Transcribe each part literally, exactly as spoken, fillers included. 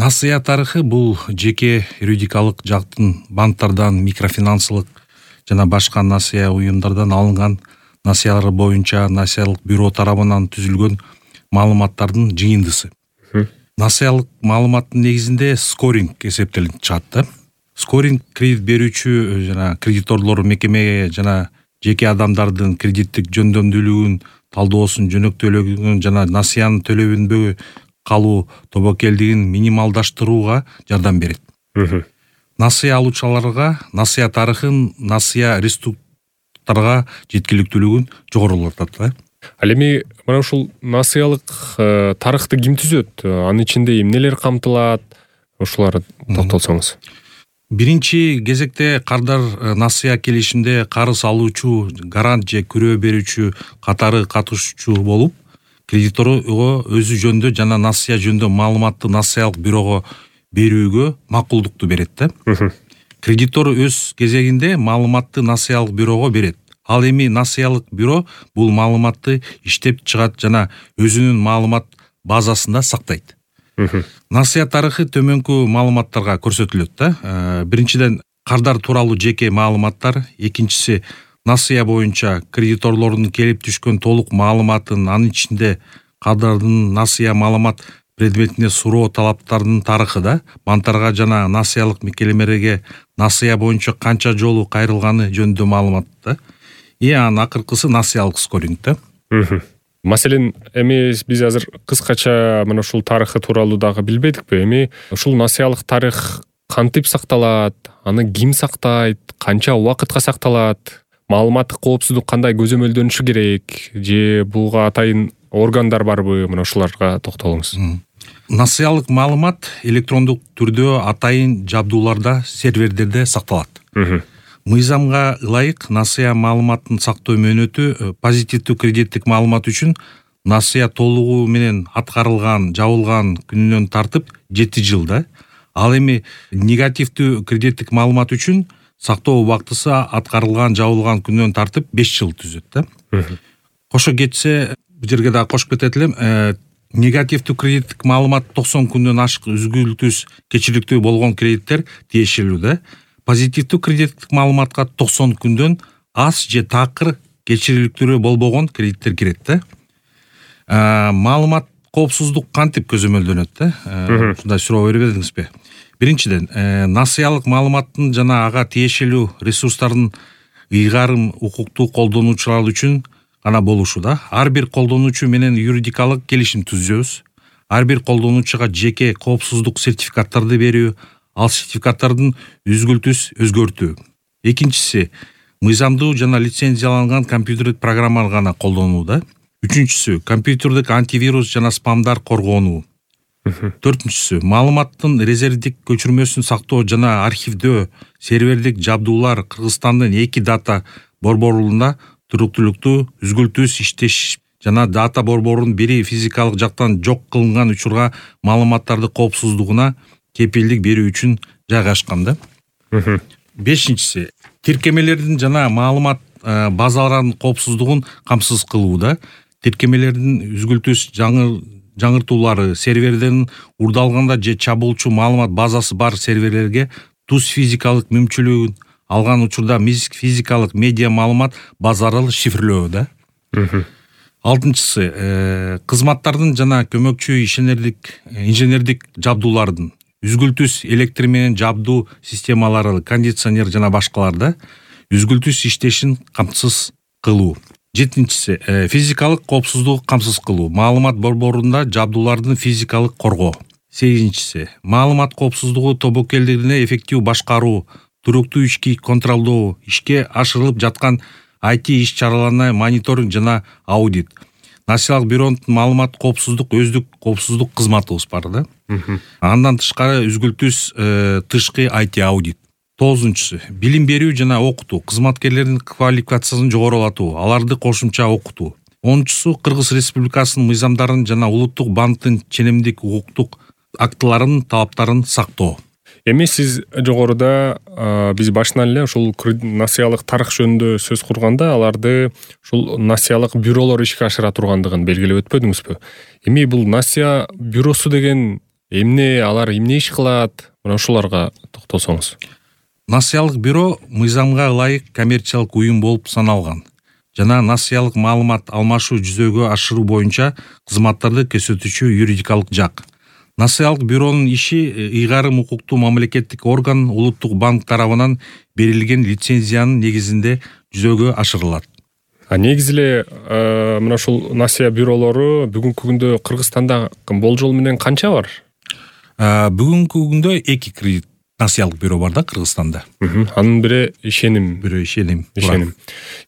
Насыя тарыхы бул жеке юридикалык жактын банктардан, микрофинансылык жана башка насыя уюмдардан алынган насыялар боюнча насыялык бюро тарабынан түзүлгөн маалыматтардын жыйындысы. Насыялык маалыматтын негизинде скоринг эсептелип чыгат да. Скоринг кредит берүүчү жана кредиторлор мекемеге жана жеке адамдардын кредиттик жөндөмдүүлүгүн, талдоосун, жөнөктүүлүгүн жана насыянын төлөбөнбөй калуу тобокелдигин минималдаштырууга жардам берет. Насыя алуучуларга насыя тарыхын насыя ресурстарга жеткиликтүүлүгүн жогорулатат. Ал эми мына ушул насыялык тарыхты ким түзөт? Анын ичинде эмнелер камтылат? Ушуларга токтолсоңуз. Биринчи кезекте кардар насыя келишимде карыз алуучу, гарант же күрөө берүүчү катары катышуучу болуп, кредиторго өзү жөнүндө жана насыя жөнүндө маалыматты насыялык бюрого берүүгө макулдукту берет да. Кредитор өз кезегинде маалыматты насыялык бюрого берет. Ал эми насыялык бюро бул маалыматты иштеп чыгат жана өзүнүн маалымат базасында сактайт. Насыя тарыхы төмөнкү маалыматтарга көрсөтүлөт да. Биринчиден кардар тууралуу жеке маалыматтар, экинчиси насыя боюнча кредиторлордун келип түшкөн толук маалыматын, анын ичинде кардардын насыя маалымат предметине суроо талаптарынын тарыхы да, банктарга жана насыялык мекемелерге насыя боюнча канча жолу кайрылганы жөнүндө маалымат да. И анын акыркысы насыялык скоринг да. Маселен, эми биз азыр кыскача мына ушул тарыхы тууралуу дагы билбедикпи? Эми ушул насыялык тарых кантип сакталат? Аны ким сактайт? Канча убакытка сакталат? Маалыматтык коопсуздук кандай көзөмөлдөнүшү керек? Же буга атайын органдар барбы? Мына ушуларга токтолуңуз. Насыялык маалымат электрондук түрдө атайын жабдууларда, серверлерде сакталат. Мыйзамга ылайык насыя маалыматын сактоо мөөнөтү позитивдүү кредиттик маалымат үчүн насыя толугу менен аткарылган, жабылган күнүнөн тартып жети жыл да. Ал эми негативдүү кредиттик маалымат үчүн сактоо убактысы аткарылган, жабылган күнүнөн тартып беш жыл түзөт да. Кошо кетсе, бул жерге дагы кошуп кетет элем, негативдүү кредиттик маалымат токсон күндөн ашык үзгүлтүс кечириктүү болгон кредиттер тиешелүү да. Позитивдүү кредиттик маалыматка токсон күндөн аз же такыр кечириликтүү болбогон кредиттер кирет да. Маалымат коопсуздук кантип көзөмөлдөнөт да? Ушундай суроо бербедиңизби? Биринчиден, насыялык маалыматтын жана ага тиешелүү ресурстардын ыйгарым укуктуу колдонуучулар үчүн гана болушу да. Ар бир колдонуучу менен юридикалык келишим түзөбүз. Ар бир колдонуучуга жеке коопсуздук сертификаттарды берүү, ал сертификаттардын үзгүлтүс өзгөртүү. Экинчиси, мыйзамдуу жана лицензияланган компьютердик программалар гана колдонуу да. Үчүнчүсү, компьютердик антивирус жана спамдар коргонуу. Төртүнчүсү, маалыматтын резервдик көчүрмөсүн сактоо жана архивдөө, сервердик жабдуулар Кыргызстандын эки дата борборунда туруктуулукту үзгүлтүс иштеш жана дата борборунун бири физикалык жактан жок кылынган учурга маалыматтарды коопсуздугуна кепилдик берүү үчүн жайгашкан да. Бешинчиси, тиркемелердин жана маалымат базаларынын коопсуздугун камсыз кылуу да. Тиркемелердин үзгүлтүс жаңы жаңыртуулары сервердердин урдалганда же чабуучу маалымат базасы бар серверлерге туз физикалык мүмкүнчүлүгүн алган учурда физикалык медиа маалымат базаралы шифрлөө да. Алтынчысы, кызматтардын жана көмөкчү ишенердик инженердик жабдуулардын үзгүлтүс электр менен жабдуу системалары, кондиционер жана башкаларда үзгүлтүс иштешин камсыз кылуу. Жетинчиси, физикалык коопсуздугу камсыз кылуу, маалымат борборунда жабдуулардын физикалык коргоо. Сегизинчиси, маалымат коопсуздугу тобокелдигине эффективдүү башкаруу, туруктуу ички контролдоо, ишке ашырылып жаткан ай ти иш-чараларына мониторинг жана аудит. Насыялык бюронун маалымат коопсуздук өздүк коопсуздук кызматыбыз бар да. Андан тышкары үзгүлтүс тышкы ай ти аудит. Тогузунчусу, билим берүү жана окутуу, кызматкерлердин квалификациясын жогорулатуу, аларды кошумча окутуу. онунчусу, Кыргыз Республикасынын мыйзамдарын жана улуттук банктын ченемдик укуктук актыларынын талаптарын сактоо. Эми сиз жогоруда биз башынан эле ушул насыялык тарых жөнүндө сөз курганда аларды ушул насыялык бюролор ишке ашыра тургандыгын белгилеп өтпөдүңүзбү? Эми бул насыя бюросу деген эмне алар эмне иш кылат, мына ушуларга токтолсоңуз. Насыялык бюро мыйзамга ылайык коммерциялык уюм болуп саналган жана насыялык маалымат алмашуу жүзөгө ашыруу боюнча кызматтарды көрсөтүүчү юридикалык жак. Насыялык бюронун иши ыйгарым укуктуу мамлекеттик орган Улуттук банк тарабынан берилген лицензиянын негизинде жүзөгө ашырылат. А негизи эле мына ушул насыя бюролору бүгүнкү күндө Кыргызстанда болжол менен канча бар? Бүгүнкү күндө эки кредит насыялык бюро бар да Кыргызстанда. Анын бири ишеним, бири ишеним. Ишеним.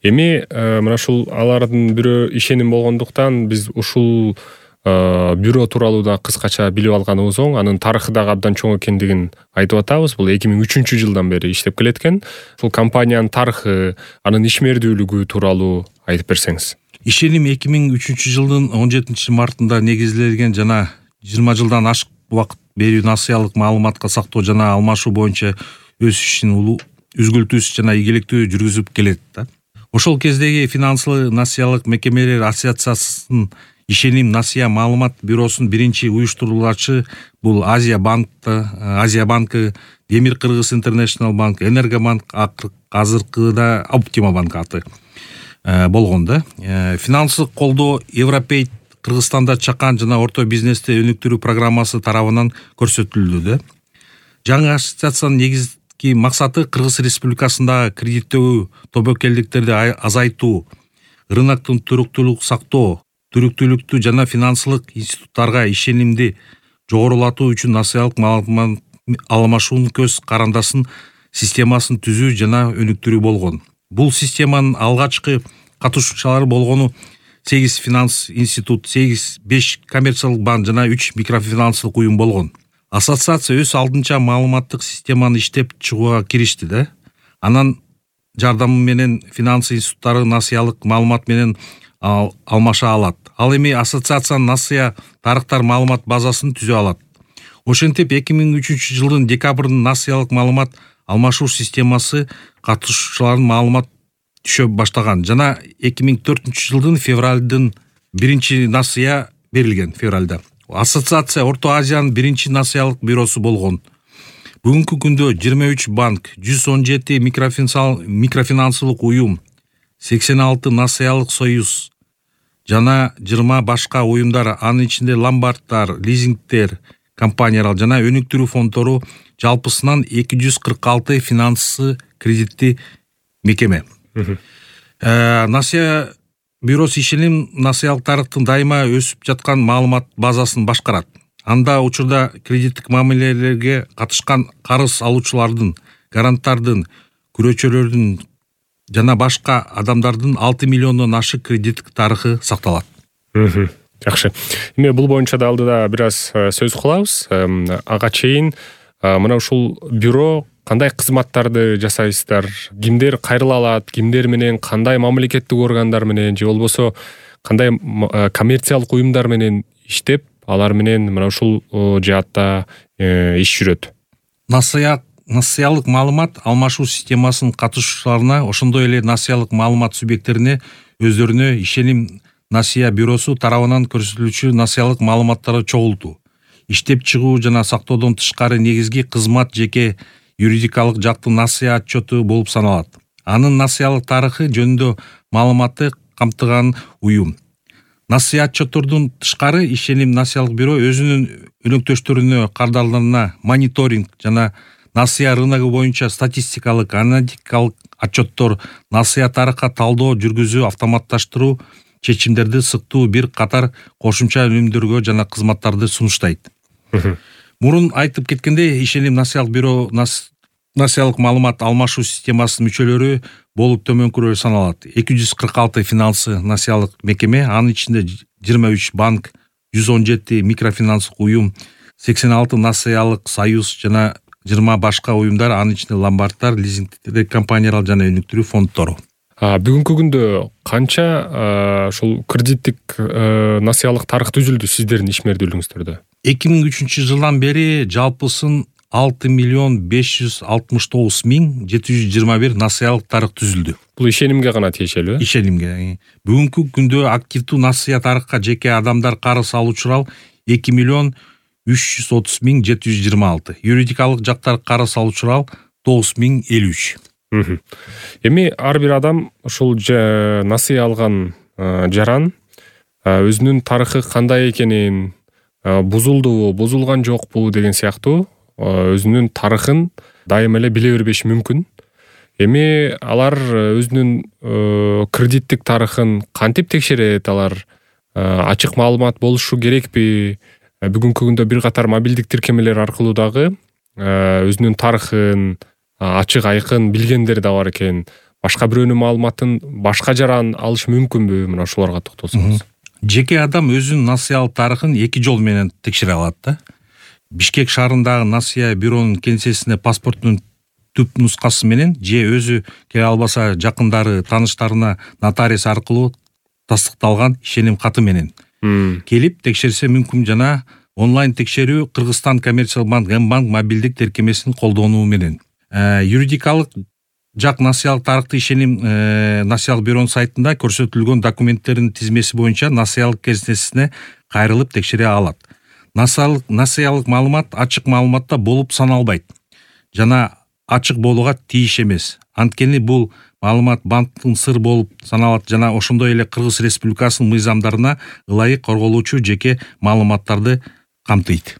Эми мына ушул алардын бири ишеним болгондуктан биз ушул бюро тууралуу да кыскача билип алганыбыз оң. Анын тарыхы дагы абдан чоң экендигин айтып атабыз. Бул эки миң үчүнчү жылдан бери иштеп келет экен. Ушул компаниянын тарыхы, анын ишмердүүлүгү тууралуу айтып берсеңиз. Ишеним эки миң үчүнчү жылдын он жетинчи мартында негизделген жана жыйырма жылдан ашык убакыт берүү насыялык маалыматка сактоо жана алмашуу боюнча өз ишин үзгүлтүүсүз жана ийгиликтүү жүргүзүп келет да. Ошол кездеги финансылык насыялык мекемелер ассоциациясынын Ишеним насыя маалымат бюросунун биринчи уюштуруулачы бул Азия банк, Азия банкы, Демир Кыргыз Интернешнл банк, Энергобанк, азыркыда Оптима банк аты болгон да. Финансылык колдоо Европейт Кыргызстанда чакан жана орто бизнести өнүктүрүү программасы тарабынан көрсөтүлдү да. Жаңы ассоциациянын негизги максаты Кыргыз Республикасындагы кредиттөө тобокелдиктерди азайтуу, рыноктун туруктуулугун сактоо, түрүктүүлүктү жана финансылык институттарга ишенимди жогорулатуу үчүн насыялык маалымат алмашуунун көз карандасын системасын түзүү жана өнүктүрүү болгон. Бул системанын алгачкы катышуучулары болгону сегиз финанс институт, сегиз беш коммерциялык банк жана үч микрофинансылык уюм болгон. Ассоциация өз алдынча маалыматтык системаны иштеп чыгууга киришти да. Анан жардамы менен финанс институттары насыялык маалымат менен алмаша алат. Ал эми ассоциациянын насыя тарыктар маалымат базасын түзө алат. Ошентип эки миң үчүнчү жылдын декабрында насыялык маалымат алмашуу системасы катышуучулардын маалымат түшө баштаган жана эки миң төртүнчү жылдын февралдын биринчи насыя берилген февралда. Ассоциация Орто Азиянын биринчи насыялык бюросу болгон. Бүгүнкү күндө жыйырма үч банк, жүз он жети микрофинансылык уюм, сексен алты насыялык союз жана жыйырма башка уюмдар, анын ичинде ломбарддар, лизингтер, компаниялар жана өнүктүрүү фонддору жалпысынан эки жүз кырк алты финансы кредитти мекеме. Насыя бюросу ишеним насыялык тарыхтын дайыма өсүп жаткан маалымат базасын башкарат. Анда учурда кредиттик мамилелерге катышкан карыз алуучулардын, гаранттардын, күрөчөлөрдүн жана башка адамдардын алты миллиондон ашык кредиттик тарыхы сакталат. Жакшы. Эми бул боюнча да алдыда бир аз сөз кылабыз. Ага чейин мына ушул бюро кандай кызматтарды жасайсыздар? Кимдер кайрыла алат? Кимдер менен кандай мамлекеттик органдар менен же болбосо кандай коммерциялык уюмдар менен иштеп, алар менен мына ушул жаатта иш жүрөт? Насыя насыялык маалымат алмашуу системасынын катышуучуларына, ошондой эле насыялык маалымат субъекттерине өздөрүнө ишеним насыя бюросу тарабынан көрсөтүлүүчү насыялык маалыматтарды чогултуу, иштеп чыгуу жана сактоодон тышкары негизги кызмат жеке юридикалык жактын насыя отчету болуп саналат. Анын насыялык тарыхы жөнүндө маалыматты камтыган уюм. Насыя отчеттордун тышкары ишеним насыялык бюро өзүнүн өнөктөштөрүнө, кардарларына мониторинг жана насыя рыногу боюнча статистикалык, аналитикалык отчеттор, насыя тарыхка талдоо жүргүзүү, автоматташтыруу чечимдерди сыктуу бир катар кошумча өнүмдөргө жана кызматтарды сунуштайт. Мурун айтып кеткендей, ишеним насыялык бюро насыялык маалымат алмашуу системасынын мүчөлөрү болуп төмөнкүрөө саналат. эки жүз кырк алты финансы насыялык мекеме, анын ичинде жыйырма үч банк, жүз он жети микрофинансылык уюм, сексен алты насыялык союз жана жыйырма башка уюмдар, анын ичинде ломбарддар, лизингтер, компаниялар жана өнүктүрүү фонддору. Бүгүнкү күндө канча ушул кредиттик насыялык тарых түзүлдү сиздердин ишмердүүлүгүңүздөрдө? эки миң үчүнчү жылдан бери жалпысын алты миллион беш жүз алтымыш тогуз миң жети жүз жыйырма бир насыялык тарых түзүлдү. Бул ишенимге гана тиешелүү? Ишенимге. Бүгүнкү күндө активдүү насыя тарыхка жеке адамдар карыз алуучулар эки миллион үч жүз отуз миң жети жүз жыйырма алты, юридикалык жактар карыз алуучу урал тогуз миң элүү үч. Эми ар бир адам ушул насыя алган жаран өзүнүн тарыхы кандай экенин, бузулдубу, бузулган жокпу деген сыяктуу өзүнүн тарыхын дайыма эле биле бербеши мүмкүн. Эми алар өзүнүн кредиттик тарыхын кантип текшерет, алар ачык маалымат болушу керекпи? Бүгүнкү күндө бир катар мобилдик тиркемелер аркылуу дагы өзүнүн тарыхын ачык айкын билгендер да бар экен. Башка бирөөнүн маалыматын башка жаран алыш мүмкүнбү? Мына ошолорго токтолсоңуз. Жеке адам өзүнүн насыялык тарыхын эки жол менен текшере алат да. Бишкек шаарындагы насыя бюронун кеңсесине паспорттун түп нускасы менен же өзү келе албаса жакындары, тааныштарына нотариус аркылуу тастыкталган ишеним каты менен келип текшерсе мүмкүн. Жана онлайн текшерүү Кыргызстан коммерциялык банк М-банк мобилдик тиркемесин колдонуу менен. Юридикалык жак насыялык тарыхты ишеним насыялык бюронун сайтында көрсөтүлгөн документтердин тизмеси боюнча насыялык кесенесине кайрылып текшере алат. Насыялык насыялык маалымат ачык маалыматта болуп саналбайт жана ачык болууга тийиш эмес. Анткени бул маалымат банктын сыр болуп саналат жана ошондой эле Кыргыз Республикасынын мыйзамдарына ылайык корголуучу жеке маалыматтарды камтыйт.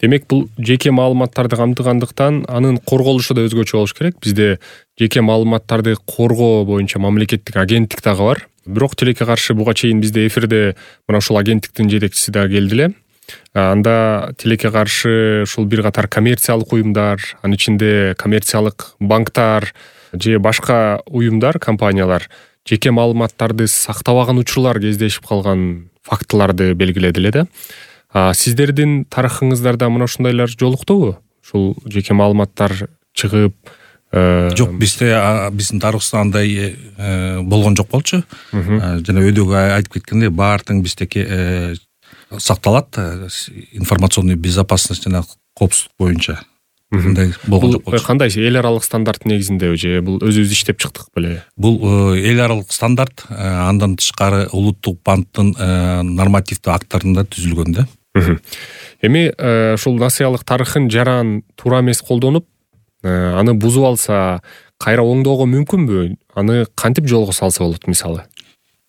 Демек бул жеке маалыматтарды камтыгандыктан анын корголушу да өзгөчө болуш керек. Бизде жеке маалыматтарды коргоо боюнча мамлекеттик агенттик дагы бар. Бирок тилекке каршы буга чейин бизде эфирде мына ушул агенттиктин жетекчиси да келди эле. Анда тилекке каршы ушул бир катар коммерциялык уюмдар, анын ичинде коммерциялык банктар же башка уюмдар, компаниялар жеке маалыматтарды сактабаган учурлар кездешип калган фактыларды белгиледи эле да. Сиздердин тарыхыңыздарда мына ушундайлар жолуктубу? Ушул жеке маалыматтар чыгып жок, бизде биздин тарыхыбызда андай болгон жок болчу. Жана өйдөгү айтып кеткендей, баары тең биздеки сакталат, информационный безопасность жана коопсуздук боюнча. Мындай болгон жок болчу. Кандай эл аралык стандарт негизинде же бул өзүбүз иштеп чыктык беле? Бул эл аралык стандарт, андан тышкары улуттук банктын нормативдүү акттарында түзүлгөн да. Эми ушул насыялык тарыхын жаран туура эмес колдонуп, аны бузуп алса, кайра оңдоого мүмкүнбү? Аны кантип жолго салса болот мисалы?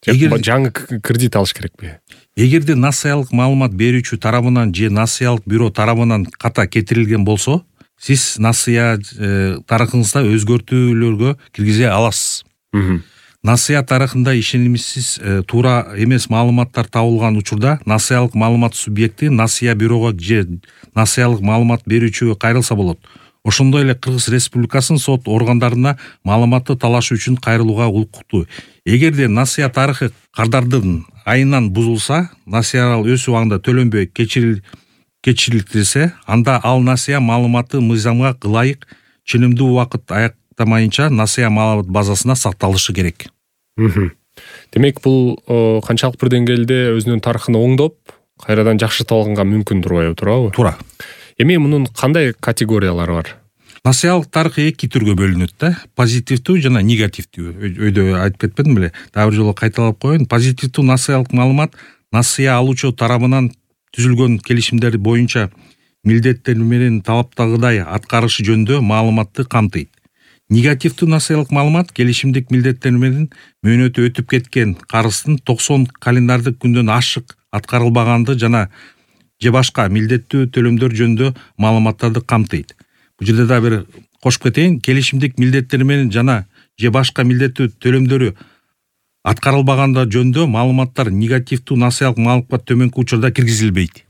Жаңы кредит алыш керекпи? Эгерде насыялык маалымат берүүчү тарабынан же насыялык бюро тарабынан ката кетирилген болсо, сиз насыя тарыхыңызда өзгөртүүлөргө киргизе аласыз. Насыя тарыхында ишенимсиз туура эмес маалыматтар табылган учурда насыялык маалымат субъекти насыя бюрого же насыялык маалымат берүүчүгө кайрылса болот. Ошондой эле Кыргыз Республикасынын сот органдарына маалыматты талашуу үчүн кайрылууга укуктуу. Эгерде насыя тарыхы кардардын айынан бузулса, насыял өз убагында төлөнбөй кечирилсе, анда ал насыя маалыматы мыйзамга ылайык ченемдүү убакыт аяктамайынча насыя маалымат базасына сакталышы керек. Демек бул канчалык бир деңгээлде өзүнүн тарыхын оңдоп, кайрадан жакшыртып алганга мүмкүн турбайбы, туурабы? Туура. Эми мунун кандай категориялары бар? Насыялык тарых эки түргө бөлүнөт да. Позитивдүү жана негативдүү. Өйдө айтып кетпедим беле? Дагы бир жолу кайталап коеюн. Позитивдүү насыялык маалымат насыя алуучу тарабынан түзүлгөн келишимдер боюнча милдеттер менен талаптагыдай аткарышы жөнүндө маалыматты камтыйт. Негативдүү насыялык маалымат келишимдик милдеттер менен мөөнөтү өтүп кеткен карыздын токсон календардык күндөн ашык аткарылбаганды жана же башка милдеттүү төлөмдөр жөнүндө маалыматтарды камтыйт. Бул жерде да бир кошуп кетейин, келишимдик милдеттер менен жана же башка милдеттүү төлөмдөрү аткарылбаганда жөнүндө маалыматтар негативдүү насыялык маалымат төмөнкү учурда киргизилбейт.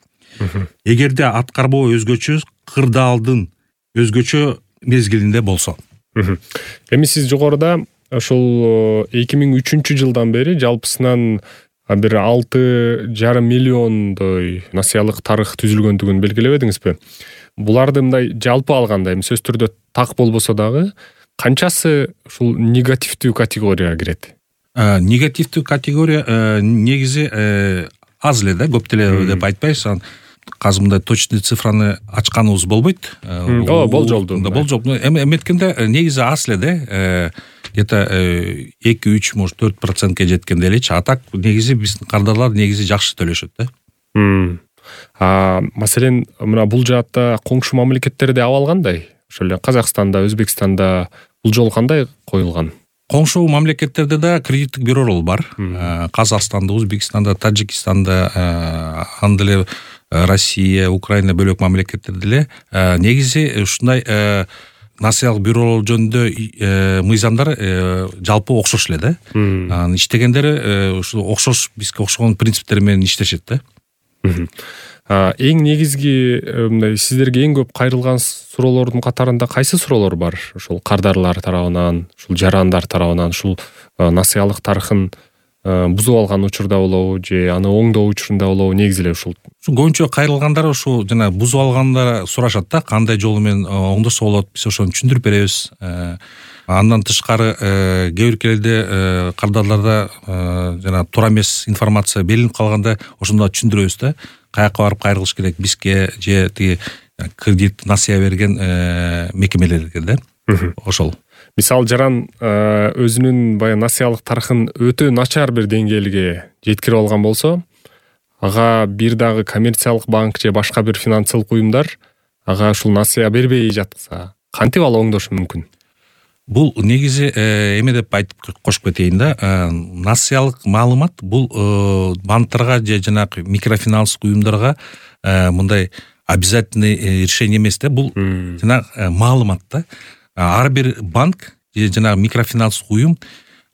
Эгерде аткарбоо өзгөчө кырдаалдын өзгөчө мезгилинде болсо. Эми сиз жогоруда ошол эки миң үчүнчү жылдан бери жалпысынан бир алты жарым миллиондой насыялык тарых түзүлгөндүгүн белгилебедиңизби? Буларды мындай жалпы алганда, эми сөз түрдө так болбосо дагы, канчасы ушул негативдүү категорияга кирет? Негативдүү категория негизи аз эле да, көп деле деп айтпайбыз. Азыр мындай точный цифраны ачканыбыз болбойт. Ооба, болжолду. Болжолду. Эми эметкенде негизи аз эле да. Где-то эки үч, может төрт процентке жеткенде элечи. А так негизи биздин кардарлар негизи жакшы төлөшөт да. А маселен мына бул жаатта коңшу мамлекеттерде абал кандай? Ошол эле Казакстанда, Өзбекстанда бул жолу кандай коюлган? Коңшу мамлекеттерде да кредиттик бюролор бар. Казакстанда, Өзбекстанда, Тажикстанда, анда эле Россия, Украина бөлөк мамлекеттерде деле негизи ушундай насыялык бюролор жөнүндө мыйзамдар жалпы окшош эле да. Анын иштегендери ушул окшош, бизге окшогон принциптер менен иштешет да. Эң негизги мындай сиздерге эң көп кайрылган суроолордун катарында кайсы суроолор бар? Ушул кардарлар тарабынан, ушул жарандар тарабынан, ушул насыялык тарыхын бузуп алган учурда болобу же аны оңдоо учурунда болобу, негизи эле ушул. Көбүнчө кайрылгандар ушул жана бузуп алгандар сурашат да, кандай жолу менен оңдосо болот, биз ошону түшүндүрүп беребиз. Андан тышкары кээ бир келде кардарларда жана туура эмес информация берилип калганда ошондо түшүндүрөбүз да, каяка барып кайрылыш керек бизге же тиги кредит насыя берген мекемелерге да. Ошол. Мисалы жаран өзүнүн баягы насыялык тарыхын өтө начар бир деңгээлге жеткирип алган болсо, ага бир дагы коммерциялык банк же башка бир финансылык уюмдар ага ушул насыя бербей жатса, кантип ал оңдошу мүмкүн? Бул негизи эме деп айтып кошуп кетейин да, насыялык маалымат бул банктарга же жанагы микрофинанстык уюмдарга мындай обязательный решение эмес да, бул жанагы маалымат да. Ар бир банк же жанагы микрофинанстык уюм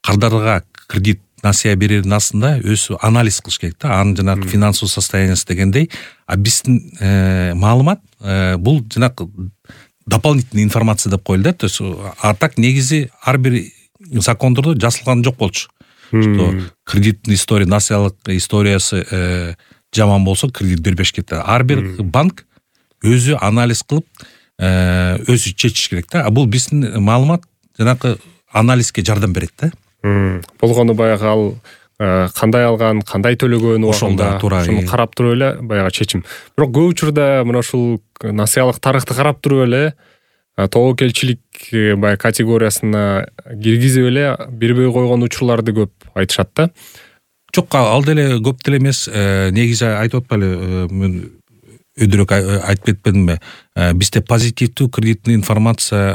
кардарларга кредит насыя берердин астында өзү анализ кылыш керек да, анын жанагы финансовый состояниясы дегендей. А биздин маалымат бул жанагы дополнительный информация деп коелу да. То есть а так негизи ар бир закондордо жазылган жок болчу. Что кредиттин история, насыялык историясы жаман болсо кредит бербеш керек. Ар бир банк өзү анализ кылып өзү чечиш керек да. А бул биздин маалымат жанагы анализге жардам берет да. Болгону баягы ал кандай алган, кандай төлөгөн убагында ошону карап туруп эле баягы чечим. Бирок көп учурда мына ушул насыялык тарыхты карап туруп эле тобокелчилик баягы категориясына киргизип эле бербей койгон учурларды көп айтышат да. Жок, ал деле көп деле эмес. Негизи айтып атпайлы, мен өйдөрөөк айтып кетпедимби? Бизде позитивдүү кредиттин информация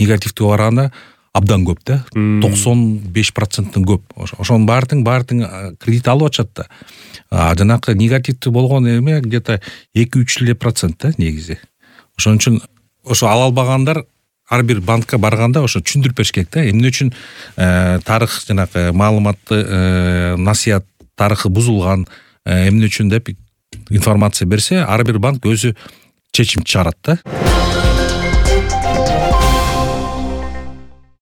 негативдүү караганда абдан көп да. токсон беш проценттен көп. Ошонун баардыгын баардыгын кредит алып атышат да. А жанагы негативдүү болгон эме где-то эки үч эле процент да негизи. Ошон үчүн ошо ала албагандар ар бир банкка барганда ошо түшүндүрүп бериш керек да. Эмне үчүн тарых жанагы маалыматты насыя тарыхы бузулган, эмне үчүн деп информация берсе, ар бир банк өзү чечим чыгарат да.